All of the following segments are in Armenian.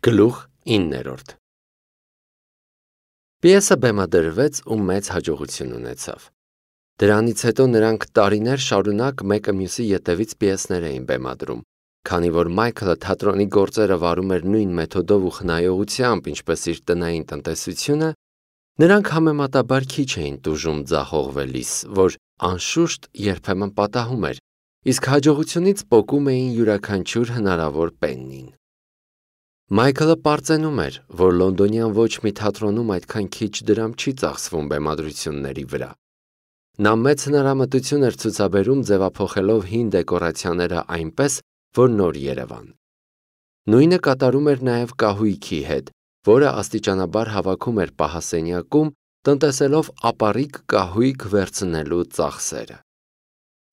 Գլուխ 9 Պիեսը բեմադրվեց ու մեծ հաջողություն ունեցավ։ Դրանից հետո նրանք տարիներ շարունակ մեկը մյուսի ետևից պիեսներ էին բեմադրում, քանի որ Մայքլը թատրոնի գործերը վարում էր նույն մեթոդով ու խնայողությամբ, ինչպես իր տնային տնտեսությունը, նրանք համեմատաբար քիչ էին տուժում ձախողվելիս, որ անշուշտ երբեմն պատահում էր, իսկ հաջողությունից պոկում էին յուրաքանչյուր հնարավոր պեննին։ Մայքլը պարծենում էր, որ լոնդոնյան ոչ մի թատրոնում այդքան քիչ դրամ չի ծախսվում բեմադրությունների վրա։ Նա մեծ հնարամտություն էր ցուցաբերում ձևափոխելով հին դեկորացիաները այնպես, որ նոր երևան։ Նույնը կատարում էր նաև կահույքի հետ, որը աստիճանաբար հավաքում էր պահասենյակում, տնտեսելով ապառիկ կահույք վերցնելու ծախսերը։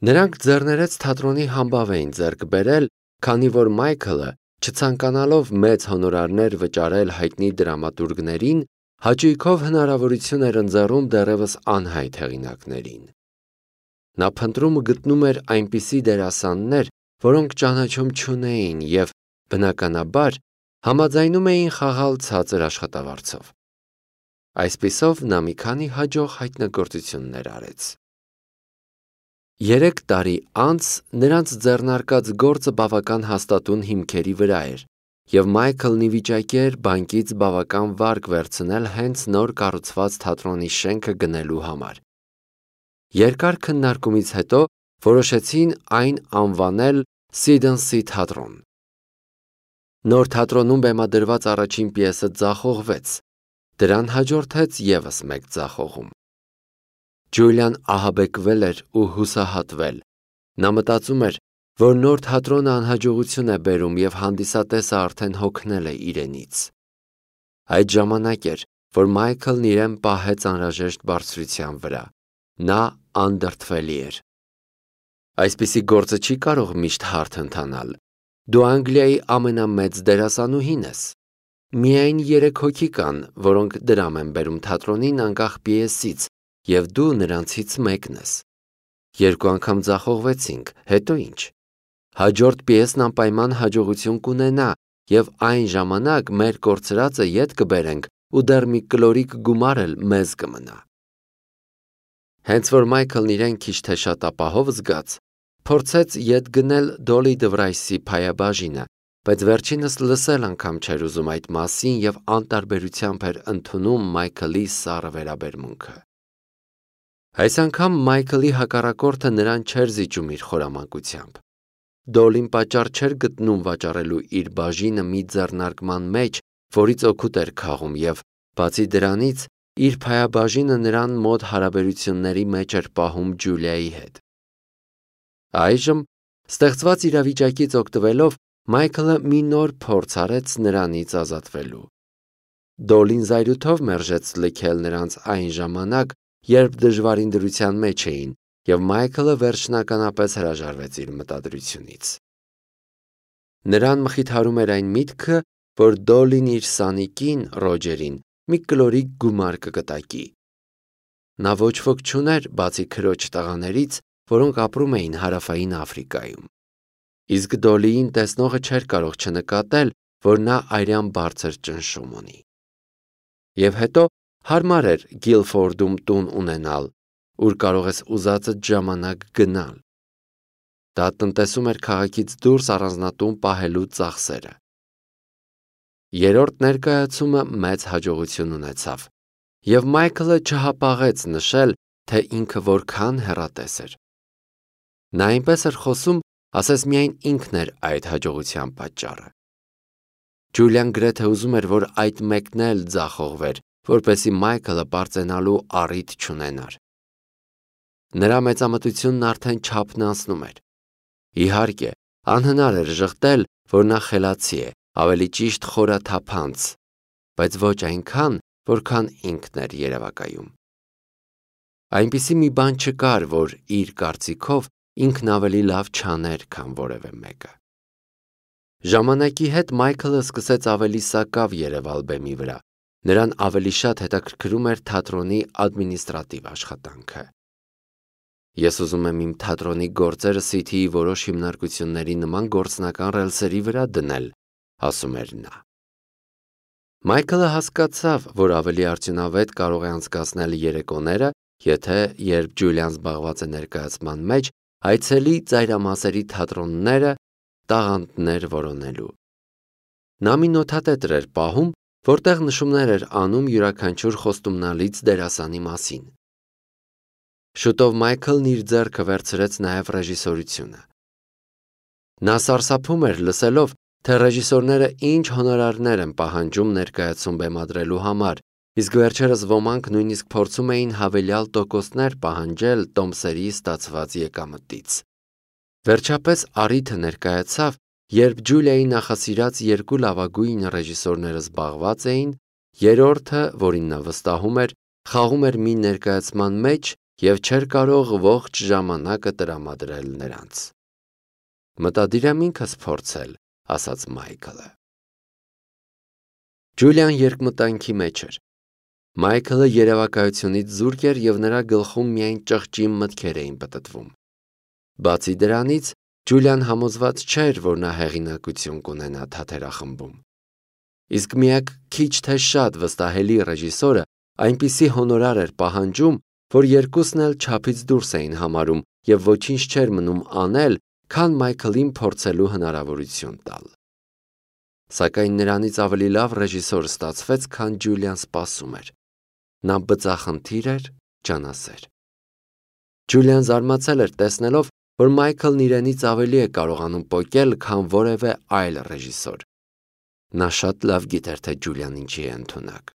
Նրանք ձեռներեց թատրոնի համբավ էին ձեռք բերել, քանի որ Մայքլը, չցանկանալով մեծ հոնորարներ վճարել հայտնի դրամատուրգներին, հաճույքով հնարավորություն էր ընձեռում դեռևս անհայտ հեղինակներին։ Նա փնտրում ու գտնում էր այնպիսի դերասաններ, որոնք ճանաչում չունեին և, բնականաբար, համաձայնում էին խաղալ ցածր աշխատավարձով։ Այսպիսով նա մի քանի հաջող հայտնագործություններ արեց։ 3 տարի անց նրանց ձեռնարկած գործը բավական հաստատուն հիմքերի վրա էր, և Մայքլն ի վիճակի էր բանկից բավական վարկ վերցնել հենց նոր կառուցված թատրոնի շենքը գնելու համար։ Երկար քննարկումից հետո որոշեցին այն անվանել Սիդնսի թատրոն։ Նոր թատրոնում բեմադրված առաջին պիեսը ձախողվեց, դրան հաջորդեց ևս մեկ ձախողում։ Ջուլիան ահաբեկվել էր ու հուսահատվել։ Նա մտածում էր, որ նոր թատրոնը անհաջողություն է բերում և հանդիսատեսը արդեն հոգնել է իրենից։ Այդ ժամանակ էր, որ Մայքլն իրեն պահեց անհրաժեշտ բարձրության վրա։ Նա անդրդվելի էր։ Այսպիսի գործը չի կարող միշտ հարթ ընթանալ։ Դու Անգլիայի ամենամեծ դերասանուհին ես։ Միայն 3 հոգի կան, որոնք դրամ են բերում թատրոնին անկախ պիեսից, և դու նրանցից մեկն ես։ 2 անգամ ձախողվեցինք, հետո ինչ։ Հաջորդ պիեսն անպայման հաջողություն կունենա, և այն ժամանակ մեր կորցրածը ետ կբերենք ու դեռ մի կլորիկ գումար էլ մեզ կմնա։ Հենց որ Մայքլն իրեն քիչ թե շատ ապահով զգաց, փորձեց ետ գնել Դոլի Դվրայսի փայաբաժինը, բայց վերջինս լսել անգամ չէր ուզում այդ մասին և անտարբերությամբ էր ընդունում Մայքլի սառը վերաբերմունքը։ Այս անգամ Մայքլի հակառակորդը նրան չէր զիջում իր խորամանկությամբ։ Դոլին պատճառ չէր գտնում վաճառելու իր բաժինը մի ձեռնարկման մեջ, որից օգուտ էր քաղում, և, բացի դրանից, իր փայաբաժինը նրան մոտ հարաբերությունների մեջ էր պահում Ջուլիայի հետ։ Այժմ, ստեղծված իրավիճակից օգտվելով, Մայքլը մի նոր փորձ արեց նրանից ազատվելու։ Դոլին զայրույթով մերժեց լքել նրանց այն ժամանակ, երբ դժվարին դրության մեջ էին, և Մայքլը վերջնականապես հրաժարվեց իր մտադրությունից։ Նրան մխիթարում էր այն միտքը, որ Դոլին իր սանիկին Ռոջերին մի կլորիկ գումար կկտակի։ Նա ոչ ոք չուներ, բացի քրոջ տղաներից, որոնք ապրում էին Հարավային Աֆրիկայում։ Իսկ Դոլիին տեսնողը չէր կարող չնկատել, որ նա արյան բարձր ճնշում ունի։ Եվ հետո հարմար էր Գիլֆորդում տուն ունենալ, ուր կարող ես ուզածդ ժամանակ գնալ։ Դա տնտեսում էր քաղաքից դուրս առանձնատուն պահելու ծախսերը։ Երրորդ ներկայացումը մեծ հաջողություն ունեցավ, և Մայքլը չհապաղեց նշել, թե ինքը որքան հեռատես էր։ Նա այնպես էր խոսում, ասես միայն ինքն էր այդ հաջողության պատճառը։ Ջուլիան գրեթե ուզում էր, որ այդ մեկն էլ ձախողվեր, որպեսզի Մայքլը պարծենալու առիթ չունենար։ Նրա մեծամտությունն արդեն չափն անցնում էր։ Իհարկե, անհնար էր ժխտել, որ նա խելացի է, ավելի ճիշտ խորաթափանց, բայց ոչ այնքան, որքան ինքն էր երևակայում։ Այնպիսի մի բան չկար, որ իր կարծիքով ինքն ավելի լավ չաներ, քան որևէ մեկը։ Ժամանակի հետ Մայքլը սկսեց ավելի սակավ երևալ բեմի վրա։ Նրան ավելի շատ հետաքրքրում էր թատրոնի ադմինիստրատիվ աշխատանքը։ Ես ուզում եմ իմ թատրոնի գործերը Սիթիի որոշ հիմնարկությունների նման գործնական ռելսերի վրա դնել, ասում էր նա։ Մայքլը հասկացավ, որ ավելի արդյունավետ կարող է անցկացնել երեկոները, եթե երբ Ջուլիան զբաղված է ներկայացման մեջ, այցելի ծայրամասերի թատրոնները տաղանդներ որոնելու։ Նա մի նոթատետր էր պահում, որտեղ նշումներ էր անում յուրաքանչյուր խոստումնալից դերասանի մասին։ Շուտով Մայքլն իր ձեռքը վերցրեց նաև ռեժիսորությունը։ Նա սարսափում էր լսելով, թե ռեժիսորները ինչ հոնորարներ են պահանջում ներկայացում բեմադրելու համար, իսկ վերջերս ոմանք նույնիսկ փորձում էին հավելյալ տոկոսներ պահանջել տոմսերի ստացված եկամտից։ Վերջապես առիթը ներկայացավ, երբ Ջուլիայի նախասիրած երկու լավագույն ռեժիսորները զբաղված էին, երրորդը, որին նա վստահում էր, խաղում էր մի ներկայացման մեջ և չէր կարող ողջ ժամանակը տրամադրել նրանց։ Մտադիր եմ ինքս փորձել, ասաց Մայքլը։ Ջուլիան երկմտանքի մեջ էր։ Մայքլը երևակայությունից զուրկ էր և նրա գլխում միայն ճղճի մտքեր էին պտտվում։ Բացի դրանից, Ջուլիան համոզված չէր, որ նա հեղինակություն կունենա թատերախմբում։ Իսկ միակ քիչ թե շատ վստահելի ռեժիսորը այնպիսի հոնորար էր պահանջում, որ երկուսն էլ չափից դուրս էին համարում և ոչինչ չէր մնում անել, քան Մայքլին փորձելու հնարավորություն տալ։ Սակայն նրանից ավելի լավ ռեժիսոր ստացվեց, քան Ջուլիան սպասում էր։ Նա բծախնդիր էր, ջանասեր։ Ջուլիան զարմացել էր տեսնելով, որ Մայքլն իրենից ավելի է կարողանում պոկել, քան որևէ այլ ռեժիսոր։ Նա շատ լավ գիտեր, թե Ջուլիան ինչի է ընդունակ։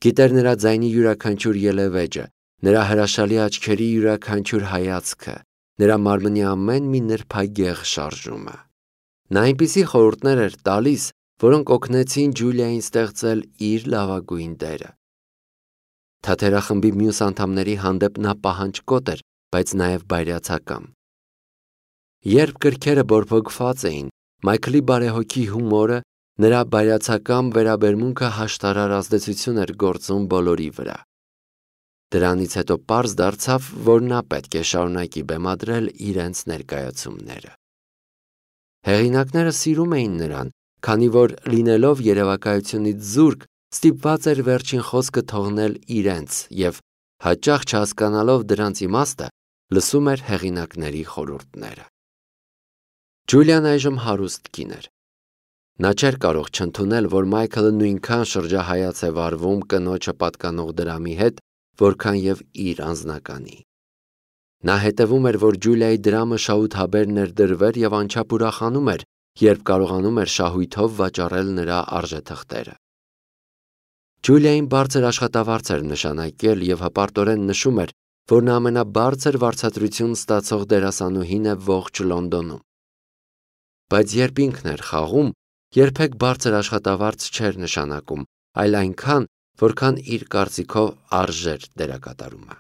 Գիտեր նրա ձայնի յուրաքանչյուր ելևէջը, նրա հրաշալի աչքերի յուրաքանչյուր հայացքը, նրա մարմնի ամեն մի նրբագեղ շարժումը։ Նա այնպիսի խորհուրդներ էր տալիս, որոնք օգնեցին Ջուլիային ստեղծել իր լավագույն դերը։ Թատերախմբի մյուս անդամների հանդեպ նա պահանջկոտ էր, բայց նաև բայրացակամ։ Երբ գրքերը բորբոքված էին, Մայքլի բարեհոգի հումորը, նրա բայրացակամ վերաբերմունքը հաշտարար ազդեցություն էր գործում բոլորի վրա։ Դրանից հետո պարզ դարձավ, որ նա պետք է շարունակի բեմադրել իրենց ներկայացումները։ Հեղինակները սիրում էին նրան, քանի որ լինելով երևակայությունից զուրկ, ստիպված էր վերջին խոսքը թողնել իրենց և, հաճախ չհասկանալով դրանց իմաստը, լսում էր հեղինակների խորհուրդները։ Ջուլիան այժմ հարուստ կին էր։ Նա չէր կարող չընդունել, որ Մայքլը նույնքան շրջահայաց է վարվում կնոջը պատկանող դրամի հետ, որքան և իր անձնականի։ Նա հետևում էր, որ Ջուլիայի դրամը շահութաբեր ներդրվեր և անչափ ուրախանում էր, երբ կարողանում էր շահույթով վաճառել նրա արժեթղթերը։ Ջուլիային բարձր աշխատավարձ էր նշանակել և հպարտորեն նշում էր, որ նա ամենաբարձր վարձատրություն ստացող դերասանուհին է ողջ Լոնդոնում։ Բայց երբ ինքն էր խաղում, երբեք բարձր աշխատավարձ չէր նշանակում, այլ այնքան, որքան իր կարծիքով արժեր դերակատարումը։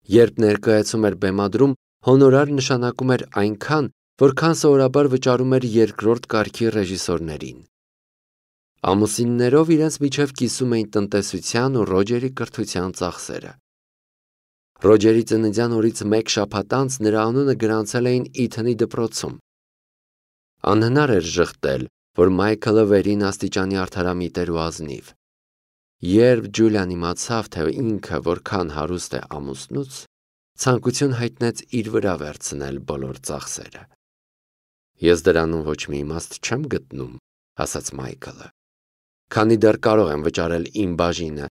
Երբ ներկայացում էր բեմադրում, հոնորար նշանակում էր այնքան, որքան սովորաբար վճարում էր երկրորդ կարգի ռեժիսորներին։ Ամուսիններով իրենց միջև կիսում էին տնտեսության ու Ռոջերի կրթության ծախսերը։ Ռոջերի ծննդյան օրից մեկ շաբաթ անց նրա անունը գրանցել էին Իթնի դպրոցում։ Անհնար էր ժխտել, որ Մայքլը վերին աստիճանի արդարամիտ էր ու ազնիվ։ Երբ Ջուլիան իմացավ, թե ինքը որքան հարուստ է ամուսնուց, ցանկություն հայտնեց իր վրա վերցնել բոլոր ծախսերը։ Ես դրանում ոչ մի իմաստ չեմ գտնում, ասաց Մայքլը։ Քանի դեռ կարող եմ վճարել իմ բաժինը,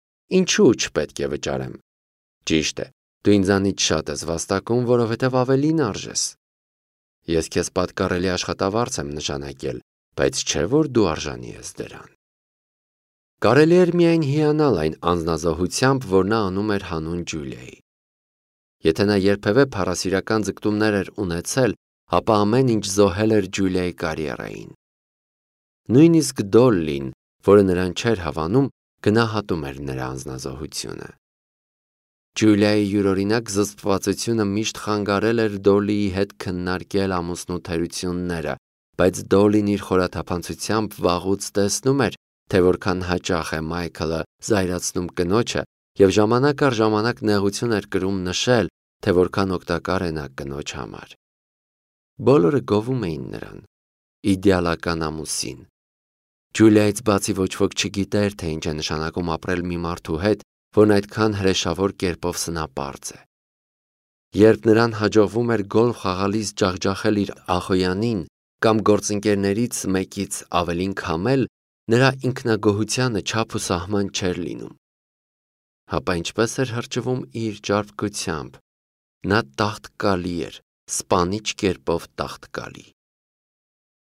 ինչու չպետք է վճարեմ։ Ճիշտ է, դու ինձանից շատ ես վաստակում, որովհետև ավելին արժես։ Ես քեզ պատկառելի աշխատավարձ եմ նշանակել, բայց չէ որ դու արժանի ես դրան։ Կարելի էր միայն հիանալ այն անձնազոհությամբ, որ նա անում էր հանուն Ջուլիայի։ Եթե նա երբևէ փառասիրական ձգտումներ էր ունեցել, ապա ամեն ինչ զոհել էր Ջուլիայի կարիերային։ Նույնիսկ Դոլլին, որը նրան չէր հավանում, գնահատում էր նրա անձնազոհությունը։ Ջուլիայի յուրօրինակ զսպվածությունը միշտ խանգարել էր Դոլլիի հետ քննարկել ամուսնու թերությունները, բայց Դոլլին իր խորաթափանցությամբ վաղուց տեսնում էր, թե որքան հաճախ է Մայքլը զայրացնում կնոջը և ժամանակ առ ժամանակ նեղություն էր կրում նշել, թե որքան օգտակար է նա կնոջ համար։ Բոլորը գովում էին նրան, իդեալական ամուսին։ Ջուլիայից բացի ոչ ոք չգիտեր, թե ինչ է նշանակում ապրել մի մարդու հետ, որն այդքան հրեշավոր կերպով սնապարծ է։ Երբ նրան հաջողվում էր գոլֆ խաղալիս ջախջախել իր ախոյանին կամ գործընկերներից մեկից ավելին քամել, նրա ինքնագոհությանը չափ ու սահման չէր լինում։ Հապա ինչպես էր հրճվում իր ճարպկությամբ։ Նա տաղտկալի էր, սպանիչ կերպով տաղտկալի։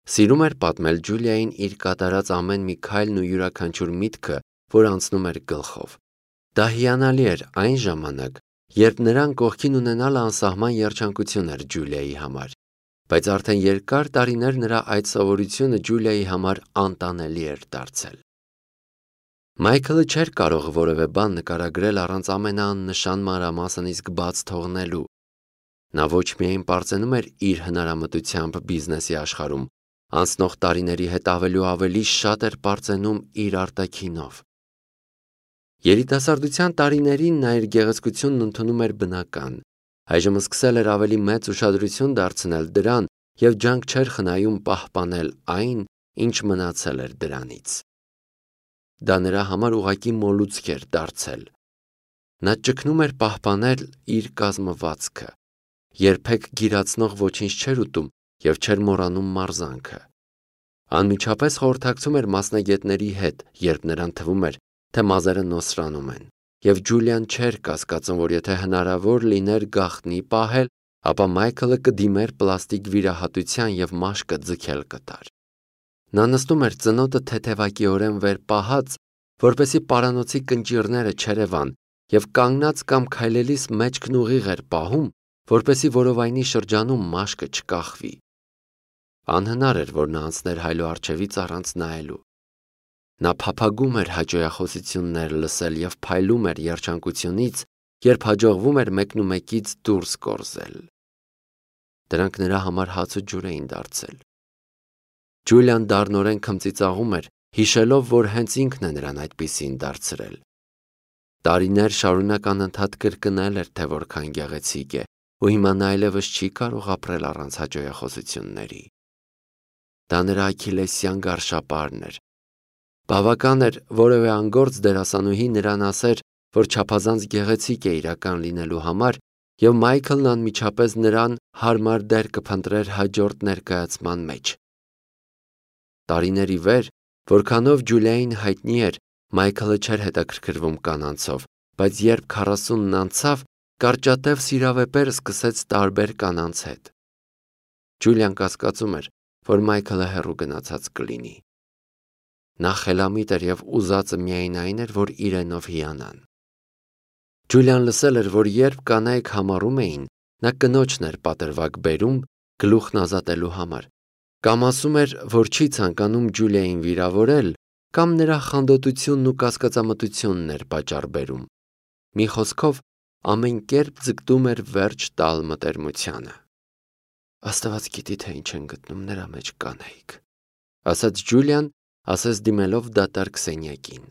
Սիրում էր պատմել Ջուլիային իր կատարած ամեն մի քայլն ու յուրաքանչյուր միտքը, որ անցնում էր գլխով։ Դա հիանալի էր այն ժամանակ, երբ նրան կողքին ունենալը անսահման երջանկություն էր Ջուլիայի համար, բայց արդեն երկար տարիներ նրա այդ սովորությունը Ջուլիայի համար անտանելի էր դարձել։ Մայքլը չէր կարող որևէ բան նկարագրել առանց ամենաաննշան մանրամասն իսկ բաց թողնելու։ Նա ոչ միայն պարծենում էր իր հնարամտությամբ բիզնեսի աշխարհում, անցնող տարիների հետ ավելի ու ավելի շատ էր պարծենում իր արտաքինով։ Երիտասարդության տարիներին նա իր գեղեցկությունն ընդունում էր բնական, այժմ սկսել էր ավելի մեծ ուշադրություն դարձնել դրան և ջանք չէր խնայում պահպանել այն, ինչ մնացել էր դրանից։ Դա նրա համար ուղղակի մոլուցք էր դարձել։ Նա ճգնում էր պահպանել իր կազմվածքը, երբեք գիրացնող ոչինչ չէր ուտում և չէր մոռանում մարզանքը։ Անմիջապես խորհրդակցում էր մասնագետների հետ, երբ նրան թվում էր, թե մազերը նոսրանում են, և Ջուլիան չէր կասկածում, որ եթե հնարավոր լիներ գաղտնի պահել, ապա Մայքլը կդիմեր պլաստիկ վիրահատության և մաշկը ձգել կտար։ Նա նստում էր ծնոտը թեթևակիորեն վեր պահած, որպեսզի պարանոցի կնճիռները չերևան, և կանգնած կամ քայլելիս մեջքն ուղիղ էր պահում, որպեսզի որովայնի շրջանում մաշկը չկախվի։ Անհնար էր, որ նա անցներ հայլու առջևից առանց նայելու։ Նա փափագում էր հաճոյախոսություններ լսել և փայլում էր երջանկությունից, երբ հաջողվում էր մեկնումեկից դուրս կորզել։ Դրանք նրա համար հաց ու ջուր էին դարձել։ Ջուլիան դառնորեն քմծիծաղում էր, հիշելով, որ հենց ինքն է նրան այդպիսին դարձրել։ Տարիներ շարունակ անընդհատ կրկնել էր, թե որքան գեղեցիկ է, ու հիմա նա այլևս չի կարող ապրել առանց հաճոյախոսությունների։ Դա նրա աքիլեսյան գարշապարն էր։ Բավական էր որևէ անգործ դերասանուհի նրան ասեր, որ չափազանց գեղեցիկ է իրական լինելու համար, և Մայքլն անմիջապես նրան հարմար դեր կփնտրեր հաջորդ ներկայացման մեջ։ Տարիներ ի վեր, որքանով Ջուլիային հայտնի էր, Մայքլը չէր հետաքրքրվում կանանցով, բայց երբ 40-ն անցավ, կարճատև սիրավեպեր սկսեց տարբեր կանանց հետ։ Ջուլիան կասկածում էր, որ Մայքլը հեռու գնացած կլինի։ Նա խելամիտ էր և ուզածը միայն այն էր, որ իրենով հիանան։ Ջուլիան լսել էր, որ երբ կանայք համառում էին, նա կնոջն էր պատրվակ բերում գլուխն ազատելու համար, կամ ասում էր, որ չի ցանկանում Ջուլիային վիրավորել, կամ նրա խանդոտությունն ու կասկածամտությունն էր պատճառ բերում։ Մի խոսքով, ամեն կերպ ձգտում էր վերջ տալ մտերմությանը։ Աստված գիտի, թե ինչ են գտնում նրա մեջ կանայք, ասաց Ջուլիան, ասես դիմելով դատարկ սենյակին։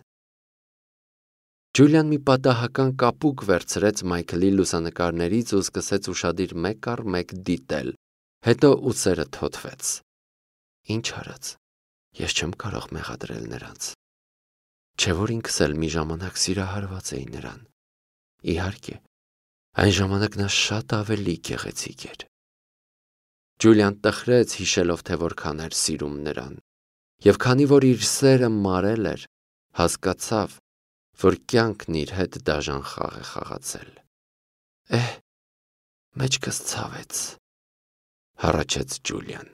Ջուլիան մի պատահական կապուկ վերցրեց Մայքլի լուսանկարներից ու սկսեց ուշադիր մեկ առ մեկ դիտել, հետո ուսերը թոթվեց։ Ինչ արած, ես չեմ կարող մեղադրել նրանց։ Չէ՞ որ ինքս էլ մի ժամանակ սիրահարված էի նրան։ Իհարկե, այն ժամանակ նա շատ ավելի գեղեցիկ էր։ Ջուլիան տխրեց, հիշելով, թե որքան էր սիրում նրան, և քանի որ իր սերը մարել էր, հասկացավ, որ կյանքն իր հետ դաժան խաղ է խաղացել։ Մեջքս ցավեց, հառաչեց Ջուլիան։